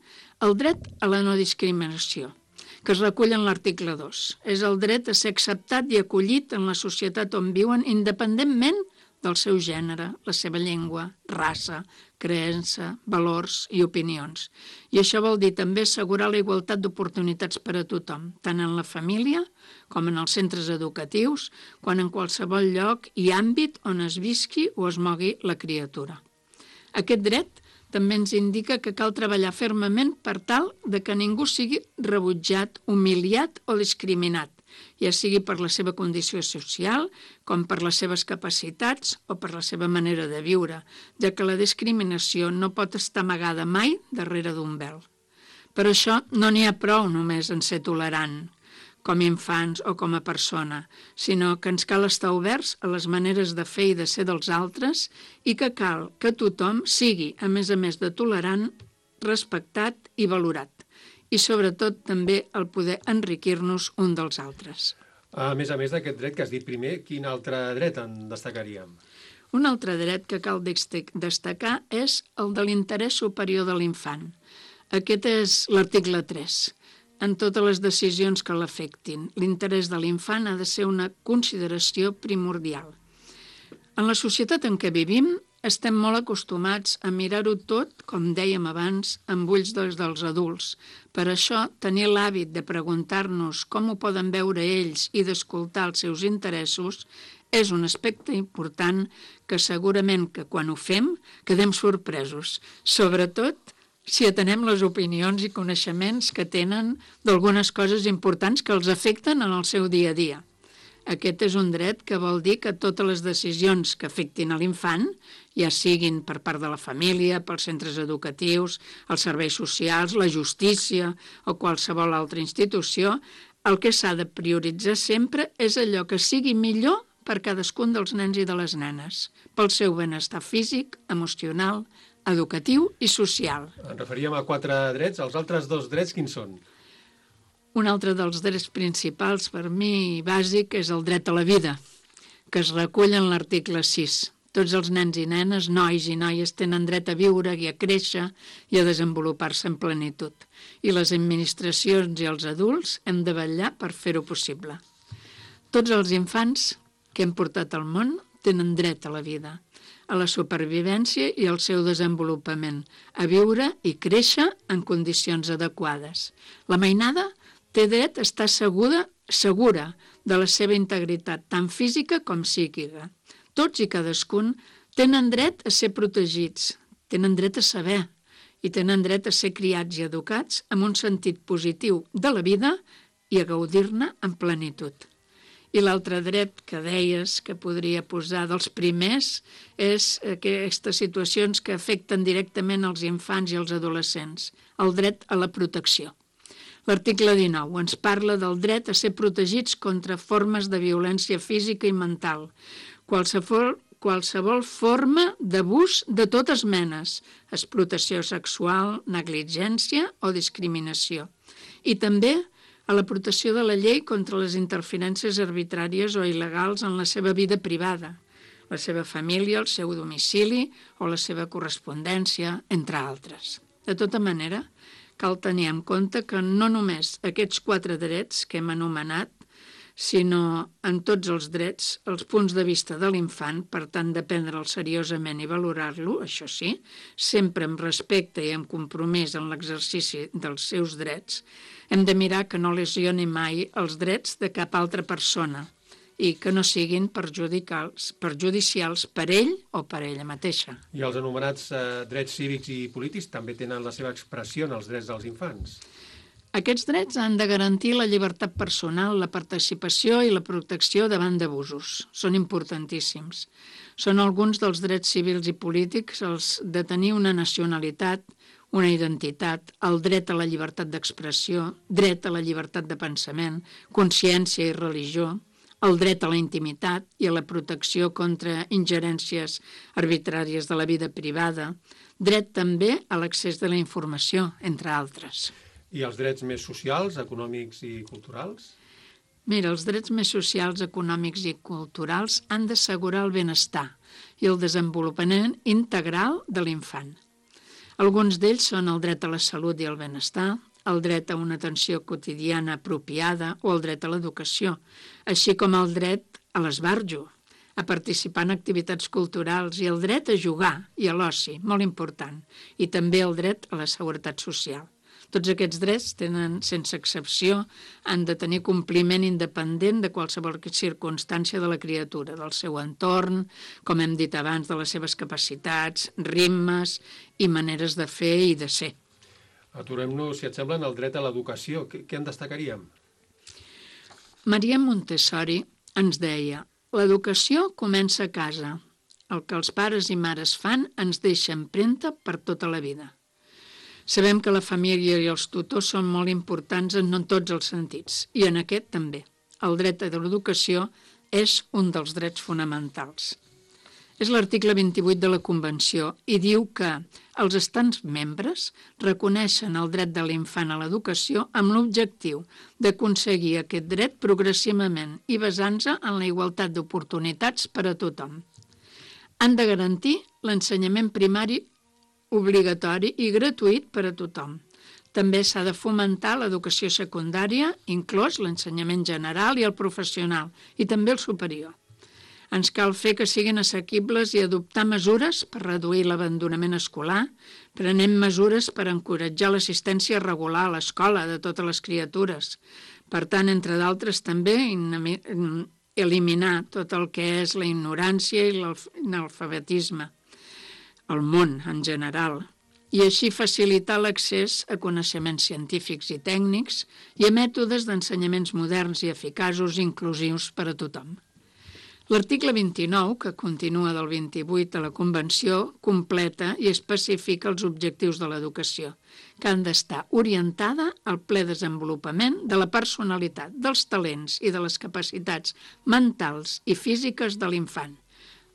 el dret a la no discriminació, que es recull en l'article dos. És el dret a ser acceptat i acollit en la societat on viuen independentment del seu gènere, la seva llengua, raça, creença, valors i opinions. I això vol dir també assegurar la igualtat d'oportunitats per a tothom, tant en la família com en els centres educatius, quan en qualsevol lloc i àmbit on es visqui o es mogui la criatura. Aquest dret també ens indica que cal treballar fermament per tal de que ningú sigui rebutjat, humiliat o discriminat, ja sigui per la seva condició social, com per les seves capacitats o per la seva manera de viure, ja que la discriminació no pot estar amagada mai darrere d'un vel. Per això no n'hi ha prou només en ser tolerant, com a infants o com a persona, sinó que ens cal estar oberts a les maneres de fer i de ser dels altres i que cal que tothom sigui, a més a més de tolerant, respectat i valorat. I sobretot també el poder enriquir-nos un dels altres. A més a més d'aquest dret que has dit primer, quin altre dret en destacaríem? Un altre dret que cal destacar és el de l'interès superior de l'infant. Aquest és l'article tres. En totes les decisions que l'afectin, l'interès de l'infant ha de ser una consideració primordial. En la societat en què vivim, estem molt acostumats a mirar-ho tot, com dèiem abans, amb ulls dels, dels adults. Per això, tenir l'hàbit de preguntar-nos com ho poden veure ells i d'escoltar els seus interessos és un aspecte important que segurament que quan ho fem quedem sorpresos, sobretot si atenem les opinions i coneixements que tenen d'algunes coses importants que els afecten en el seu dia a dia. Aquest és un dret que vol dir que totes les decisions que afectin a l'infant, ja siguin per part de la família, pels centres educatius, els serveis socials, la justícia o qualsevol altra institució, el que s'ha de prioritzar sempre és allò que sigui millor per cadascun dels nens i de les nenes, pel seu benestar físic, emocional, educatiu i social. Ens referíem a quatre drets. Els altres dos drets quins són? Un altre dels drets principals, per mi bàsic, és el dret a la vida, que es recull en l'article sis. Tots els nens i nenes, nois i noies, tenen dret a viure i a créixer i a desenvolupar-se en plenitud. I les administracions i els adults hem de vetllar per fer-ho possible. Tots els infants que hem portat al món tenen dret a la vida, a la supervivència i al seu desenvolupament, a viure i créixer en condicions adequades. La mainada té dret a estar segura, segura de la seva integritat, tant física com psíquica. Tots i cadascun tenen dret a ser protegits, tenen dret a saber i tenen dret a ser criats i educats amb un sentit positiu de la vida i a gaudir-ne en plenitud. I l'altre dret que deies que podria posar dels primers és aquestes situacions que afecten directament els infants i els adolescents, el dret a la protecció. L'article dinou ens parla del dret a ser protegits contra formes de violència física i mental, qualsevol, qualsevol forma d'abús de totes menes, explotació sexual, negligència o discriminació. i també a la protecció de la llei contra les interferències arbitràries o il·legals en la seva vida privada, la seva família, el seu domicili o la seva correspondència, entre altres. De tota manera, cal tenir en compte que no només aquests quatre drets que hem anomenat, sinó en tots els drets, els punts de vista de l'infant, per tant, de prendre'l seriosament i valorar-lo, això sí, sempre amb respecte i amb compromís en l'exercici dels seus drets, hem de mirar que no lesioni mai els drets de cap altra persona i que no siguin perjudicials, perjudicials per ell o per ella mateixa. I els anomenats eh, drets cívics i polítics també tenen la seva expressió en els drets dels infants. Aquests drets han de garantir la llibertat personal, la participació i la protecció davant d'abusos. Són importantíssims. Són alguns dels drets civils i polítics els de tenir una nacionalitat, una identitat, el dret a la llibertat d'expressió, dret a la llibertat de pensament, consciència i religió, el dret a la intimitat i a la protecció contra ingerències arbitràries de la vida privada, dret també a l'accés de la informació, entre altres. I els drets més socials, econòmics i culturals? Mira, els drets més socials, econòmics i culturals han d'assegurar el benestar i el desenvolupament integral de l'infant. Alguns d'ells són el dret a la salut i al benestar, el dret a una atenció quotidiana apropiada o el dret a l'educació, així com el dret a l'esbarjo, a participar en activitats culturals i el dret a jugar i a l'oci, molt important, i també el dret a la seguretat social. Tots aquests drets tenen, sense excepció, han de tenir compliment independent de qualsevol circumstància de la criatura, del seu entorn, com hem dit abans, de les seves capacitats, ritmes i maneres de fer i de ser. Aturem-nos, si et sembla, en el dret a l'educació. Què, què en destacaríem? Maria Montessori ens deia: l'educació comença a casa. El que els pares i mares fan ens deixa empremta per tota la vida. Sabem que la família i els tutors són molt importants en tots els sentits, i en aquest també. El dret a l'educació és un dels drets fonamentals. És l'article vint-i-vuit de la Convenció i diu que els estats membres reconeixen el dret de l'infant a l'educació amb l'objectiu d'aconseguir aquest dret progressivament i basant-se en la igualtat d'oportunitats per a tothom. Han de garantir l'ensenyament primari obligatori i gratuït per a tothom. També s'ha de fomentar l'educació secundària, inclòs l'ensenyament general i el professional, i també el superior. Ens cal fer que siguin assequibles i adoptar mesures per reduir l'abandonament escolar, prenent mesures per encoratjar l'assistència regular a l'escola de totes les criatures. Per tant, entre d'altres, també eliminar tot el que és la ignorància i l'analfabetisme, el món en general, i així facilitar l'accés a coneixements científics i tècnics i a mètodes d'ensenyaments moderns i eficaços i inclusius per a tothom. L'article vint-i-nou, que continua del vint-i-vuit de la Convenció, completa i especifica els objectius de l'educació, que han d'estar orientada al ple desenvolupament de la personalitat, dels talents i de les capacitats mentals i físiques de l'infant,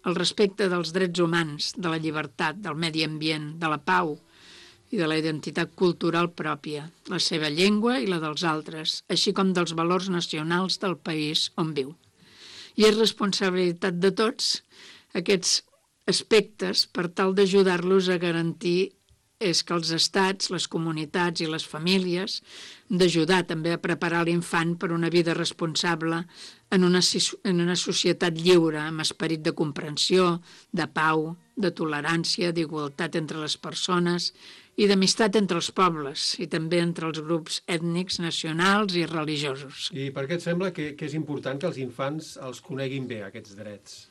el respecte dels drets humans, de la llibertat, del medi ambient, de la pau i de la identitat cultural pròpia, la seva llengua i la dels altres, així com dels valors nacionals del país on viu. I és responsabilitat de tots aquests aspectes per tal d'ajudar-los a garantir és que els estats, les comunitats i les famílies d'ajudar també a preparar l'infant per una vida responsable en una, en una societat lliure, amb esperit de comprensió, de pau, de tolerància, d'igualtat entre les persones i d'amistat entre els pobles i també entre els grups ètnics, nacionals i religiosos. I per què et sembla que, que és important que els infants els coneguin bé, aquests drets?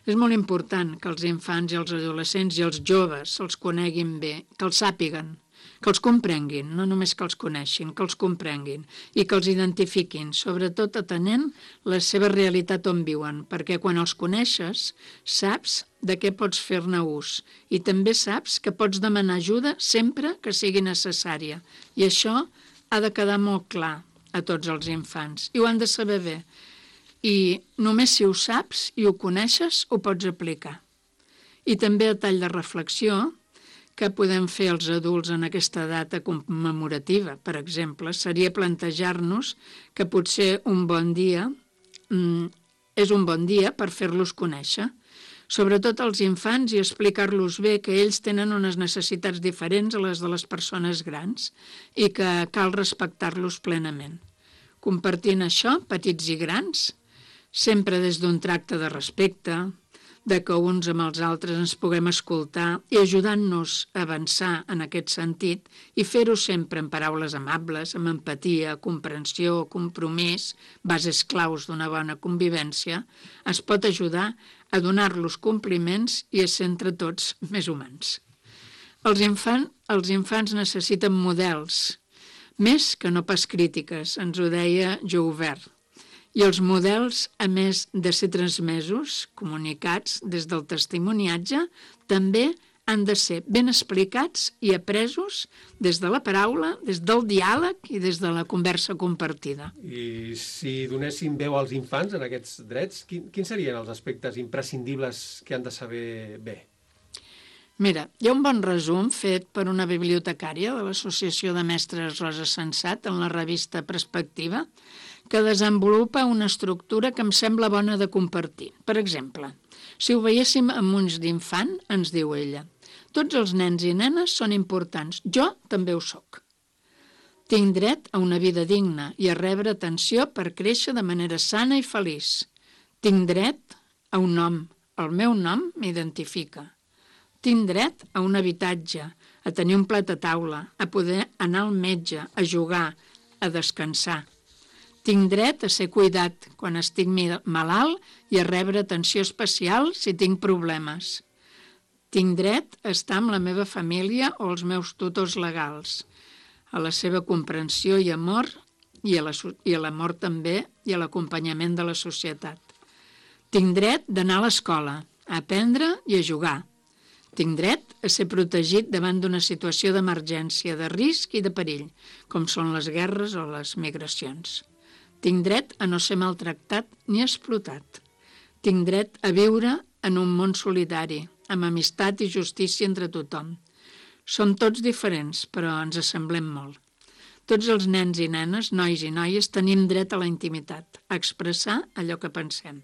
És molt important que els infants i els adolescents i els joves els coneguin bé, que els sàpiguen, que els comprenguin, no només que els coneixin, que els comprenguin i que els identifiquin, sobretot atenent la seva realitat on viuen, perquè quan els coneixes saps de què pots fer-ne ús i també saps que pots demanar ajuda sempre que sigui necessària. I això ha de quedar molt clar a tots els infants i ho han de saber bé. I només si ho saps i ho coneixes ho pots aplicar. I també a tall de reflexió, què podem fer els adults en aquesta data commemorativa, per exemple, seria plantejar-nos que potser un bon dia mm, és un bon dia per fer-los conèixer, sobretot als infants, i explicar-los bé que ells tenen unes necessitats diferents a les de les persones grans i que cal respectar-los plenament. Compartint això, petits i grans, sempre des d'un tracte de respecte, de que uns amb els altres ens puguem escoltar i ajudant-nos a avançar en aquest sentit i fer-ho sempre en paraules amables, amb empatia, comprensió, compromís, bases claus d'una bona convivència, es pot ajudar a donar-los compliments i a ser entre tots més humans. Els, infant, els infants necessiten models, més que no pas crítiques, ens ho deia Joubert. I els models, a més de ser transmesos, comunicats des del testimoniatge, també han de ser ben explicats i apresos des de la paraula, des del diàleg i des de la conversa compartida. I si donéssim veu als infants en aquests drets, quin, quins serien els aspectes imprescindibles que han de saber bé? Mira, hi ha un bon resum fet per una bibliotecària de l'Associació de Mestres Rosa Sensat en la revista Perspectiva, que desenvolupa una estructura que em sembla bona de compartir. Per exemple, si ho veiéssim amb ulls d'infant, ens diu ella, tots els nens i nenes són importants, jo també ho soc. Tinc dret a una vida digna i a rebre atenció per créixer de manera sana i feliç. Tinc dret a un nom, el meu nom m'identifica. Tinc dret a un habitatge, a tenir un plat a taula, a poder anar al metge, a jugar, a descansar. Tinc dret a ser cuidat quan estic malalt i a rebre atenció especial si tinc problemes. Tinc dret a estar amb la meva família o els meus tutors legals, a la seva comprensió i amor i a l'amor també i a l'acompanyament de la societat. Tinc dret d'anar a l'escola, a aprendre i a jugar. Tinc dret a ser protegit davant d'una situació d'emergència, de risc i de perill, com són les guerres o les migracions. Tinc dret a no ser maltractat ni explotat. Tinc dret a viure en un món solidari, amb amistat i justícia entre tothom. Som tots diferents, però ens assemblem molt. Tots els nens i nenes, nois i noies, tenim dret a la intimitat, a expressar allò que pensem.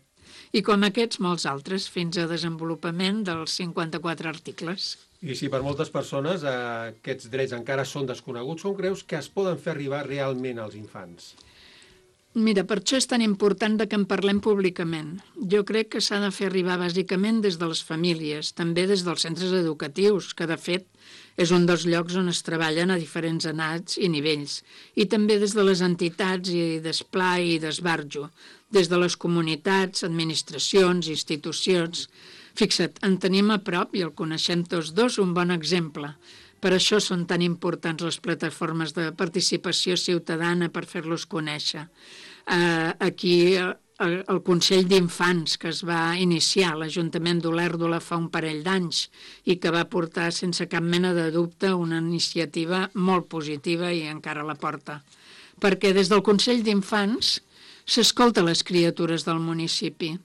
I com aquests, molts altres, fins a desenvolupament dels cinquanta-quatre articles. I si per moltes persones eh, aquests drets encara són desconeguts, com creus que es poden fer arribar realment als infants? Mira, per això és tan important que en parlem públicament. Jo crec que s'ha de fer arribar bàsicament des de les famílies, també des dels centres educatius, que de fet és un dels llocs on es treballen a diferents edats i nivells, i també des de les entitats i d'esplai i d'esbarjo, des de les comunitats, administracions, institucions. Fixa't, en tenim a prop, i el coneixem tots dos, un bon exemple. Per això són tan importants les plataformes de participació ciutadana per fer-los conèixer. Uh, aquí uh, el Consell d'Infants que es va iniciar a l'Ajuntament d'Olèrdola fa un parell d'anys i que va portar sense cap mena de dubte una iniciativa molt positiva i encara la porta. Perquè des del Consell d'Infants s'escolta les criatures del municipi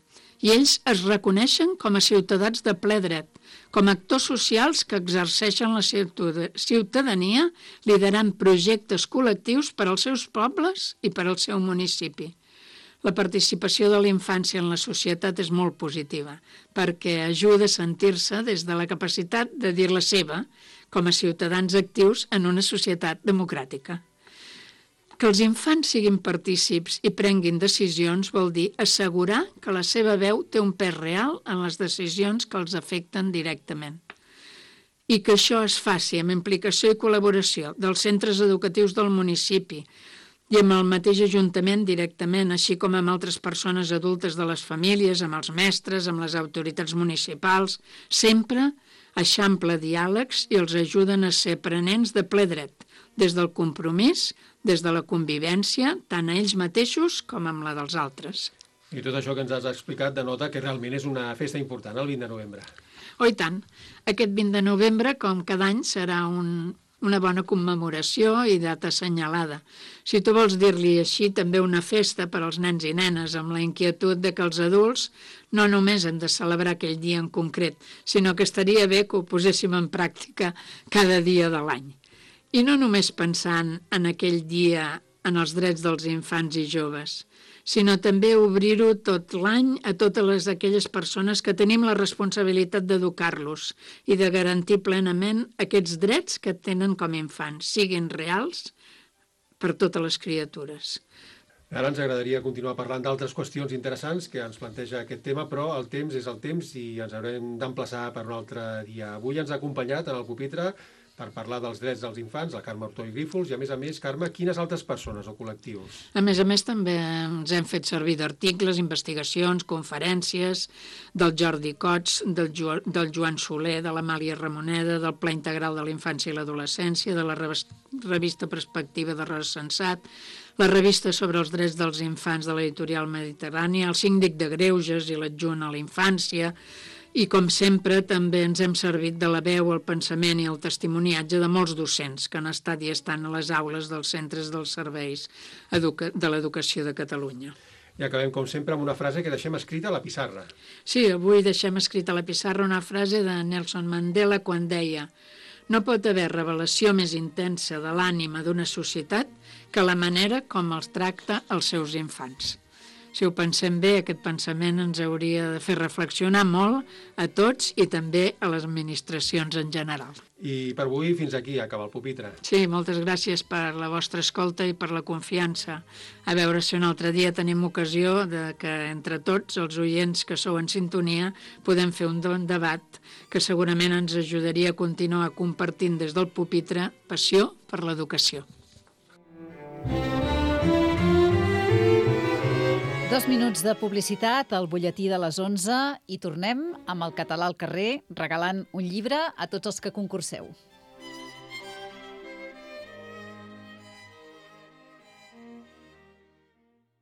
i ells es reconeixen com a ciutadans de ple dret, com a actors socials que exerceixen la ciutadania liderant projectes col·lectius per als seus pobles i per al seu municipi. La participació de la infància en la societat és molt positiva, perquè ajuda a sentir-se des de la capacitat de dir la seva com a ciutadans actius en una societat democràtica. Que els infants siguin partícips i prenguin decisions vol dir assegurar que la seva veu té un pes real en les decisions que els afecten directament. I que això es faci amb implicació i col·laboració dels centres educatius del municipi i amb el mateix Ajuntament directament, així com amb altres persones adultes de les famílies, amb els mestres, amb les autoritats municipals, sempre eixampla diàlegs i els ajuden a ser aprenents de ple dret, des del compromís, des de la convivència, tant a ells mateixos com amb la dels altres. I tot això que ens has explicat denota que realment és una festa important, el vint de novembre. Oh, i tant. Aquest vint de novembre, com cada any, serà un, una bona commemoració i data assenyalada. Si tu vols dir-li així, també una festa per als nens i nenes, amb la inquietud de que els adults no només hem de celebrar aquell dia en concret, sinó que estaria bé que ho poséssim en pràctica cada dia de l'any. I no només pensant en aquell dia en els drets dels infants i joves, sinó també obrir-ho tot l'any a totes les, aquelles persones que tenim la responsabilitat d'educar-los i de garantir plenament aquests drets que tenen com a infants, siguin reals per totes les criatures. Ara ens agradaria continuar parlant d'altres qüestions interessants que ens planteja aquest tema, però el temps és el temps i ens haurem d'emplaçar per un altre dia. Avui ens ha acompanyat en el pupitre per parlar dels drets dels infants, la Carme Ortó i Grífols, i a més a més, Carme, quines altres persones o col·lectius? A més a més, també ens hem fet servir d'articles, investigacions, conferències, del Jordi Cots, del, jo, del Joan Soler, de l'Amàlia Ramoneda, del Pla Integral de la Infància i l'Adolescència, de la revista Perspectiva de Recensat, la revista sobre els drets dels infants de l'editorial Mediterrània, el síndic de Greuges i l'adjunt a la infància, i, com sempre, també ens hem servit de la veu, el pensament i el testimoniatge de molts docents que han estat i estan a les aules dels centres dels serveis de l'educació de Catalunya. I acabem, com sempre, amb una frase que deixem escrita a la pissarra. Sí, avui deixem escrita a la pissarra una frase de Nelson Mandela quan deia: no pot haver revelació més intensa de l'ànima d'una societat que la manera com els tracta els seus infants. Si ho pensem bé, aquest pensament ens hauria de fer reflexionar molt a tots i també a les administracions en general. I per avui fins aquí acaba el pupitre. Sí, moltes gràcies per la vostra escolta i per la confiança. A veure si un altre dia tenim ocasió de que entre tots els oients que sou en sintonia podem fer un bon debat que segurament ens ajudaria a continuar compartint des del pupitre passió per l'educació. Dos minuts de publicitat al butlletí de les onze i tornem amb el català al carrer regalant un llibre a tots els que concurseu.